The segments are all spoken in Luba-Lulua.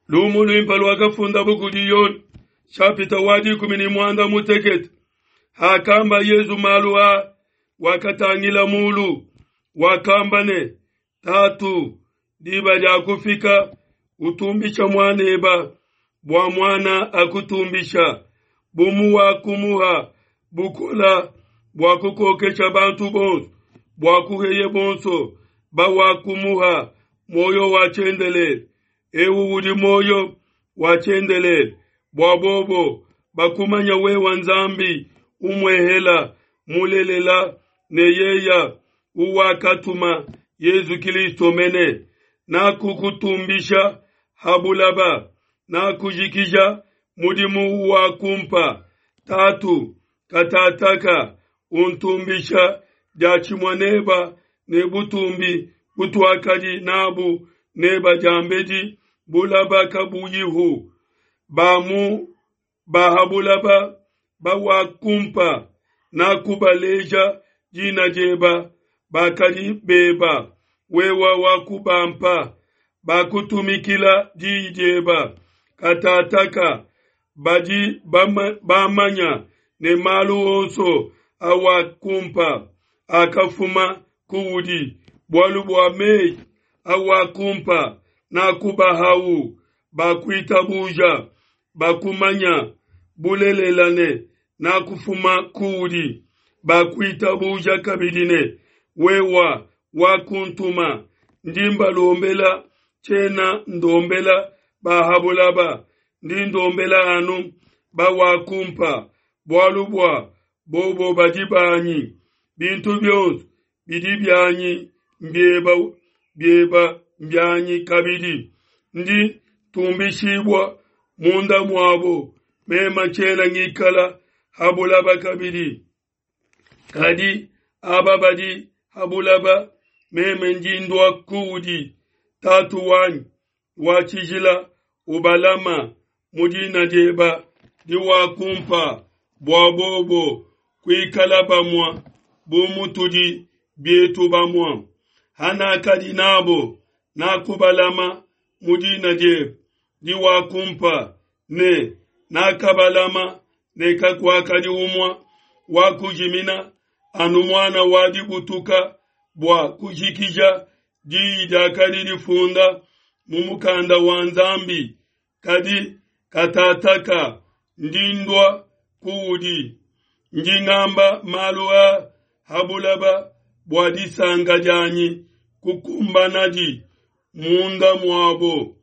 Lumu luimpe luakafundabu kudi Yone, nshapita wa 16. Hakamba Yezu malu aa, wakatangila mulu, wakamba ne, Tatu, diba diakufika, utumbisha muaneba, bua muana akutumbisha, bu muwakumuha bukola bua kukokesha bantu bonso, bua kuheye bonso bawakumuha muoyo wa tshiendelele. Eu udi muoyo wa tshiendelele, bua bobo bakumanya wewa Nzambi umuehela mulelela ne yeya uwakatuma Yezu Kilisto mene. Nakukutumbisha ha bulaba, nakujikija mudimu uwakumpa. Tatu, katataka untumbisha diatshimue neba ne butumbi butuakadi nabu neba diambedi bulaba kabuyihu. Ba mu ba ha bulaba bawakumpa, nakubaleja dina dieba, bakadi beba, wewa wakubampa, bakutumikila diyi dieba. Katataka badi bamanya ne malu onso awakumpa akafuma kuudi, bualu bua meyi awakumpa nakubahau, bakuitabuja, bakumanya bulelela ne nakufuma kuudi, bakuitabuja kabidi ne wewa wakuntuma. Ndi mbalombela, tshiena ndombela ba ha bulaba, ndi ndombela anu bawakumpa, bualu bua bobo badi banyi. Bintu bionso bidi bianyi mbieba, bieba mbianyi kabidi. Ndi tumbishibua munda muabo, mema tshiena ngikala ha bulaba kabidi. Kadi aba badi ha bulaba, meme ndi ndua kuudi. Tatu wanyi wa tshijila, ubalama mu dina dieba diwakumpa, bua bobo kuikala bamua bu mutudi bietu bamua. Hanakadi nabo, nakubalama mu dina diebe diwakumpa, ne nakabalama, ne kakuakadi umua wa kujimina, anu muana wa dibutuka, bua kujikija diyi diakadi difunda mu mukanda wa Nzambi. Kadi katataka ndi ndua kuudi, ndi ngamba malu a ha bulaba bua disanka dianyi kukumbanadi munda muabo.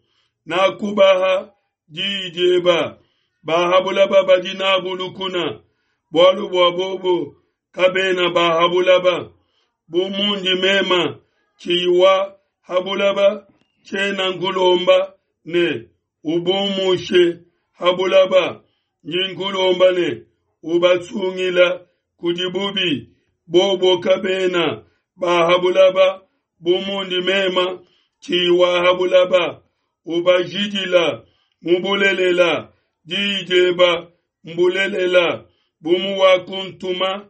Nakubaha diyi dieba, ba ha bulaba badi nabu lukuna, bualu bua bobo kabena ba ha bulaba. Bu mundi mema tshiyi wa ha bulaba, tshiena nkulomba ne ubumushe ha bulaba, ndi nkulomba ne ubasungila kudi bubi. Bobo kabena ba ha bulaba, bu mundi mema tshiyi wa ha bulaba. Ubajidila mu bulelela, diyi dieba mbulelela. Bu muwakuntuma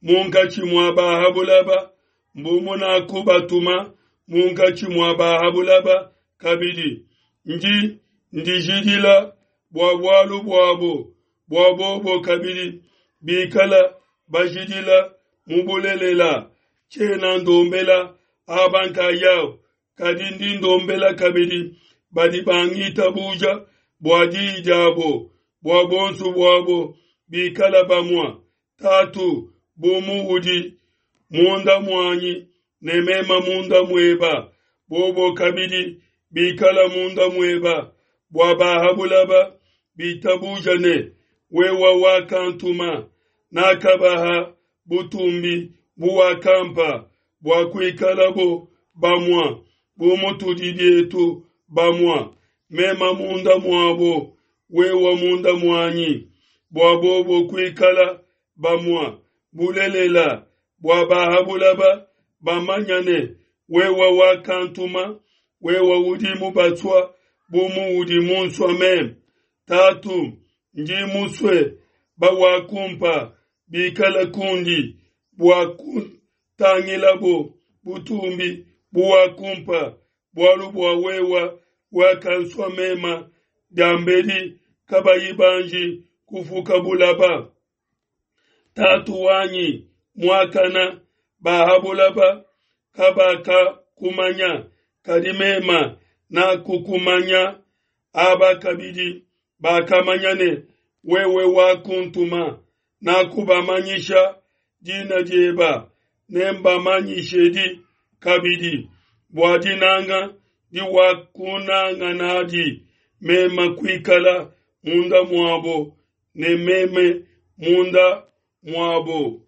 munkatshi mua ba ha bulaba, mbu munakubatuma munkatshi mua ba ha bulaba kabidi. Ndi ndijidila bua bualu buabo, bua bobo kabidi bikala bajidila mu bulelela. Tshiena ndombela aba nkayabo, kadi ndi ndombela kabidi badi bangitabuja bua diyi diabo, bua bonso buabo bikala bamua. Tatu, bu muudi munda muanyi ne mema munda mueba, bobo kabidi bikala munda mueba, bua ba ha bulaba bitabuja ne wewa wakantuma. Nakabaha butumbi buwakampa, bua kuikalabo bamua bu mutudi bietu bamua, mema munda muabo, wewa munda muanyi, bua bobo kuikala bamua bulelela, bua ba ha bulaba bamanya ne wewa wakantuma, wewa udi mubatsua bu muudi munsua meme. Tatu, ndi musue bawakumpa bikala kundi, bua kutangilabo butumbi buwakumpa, bualu bua wewa wakansua mema. diambedi kabayi banji kufuka bulaba. Tatu wanyi muakana, ba ha bulaba kabakakumanya, kadi mema nakukumanya, aba kabidi bakamanya ne wewe wakuntuma. Nakubamanyisha dina dieba, nembamanyishedi kabidi, bua dinanga diwakunanga nadi mema kuikala munda muabo ne meme munda muabo.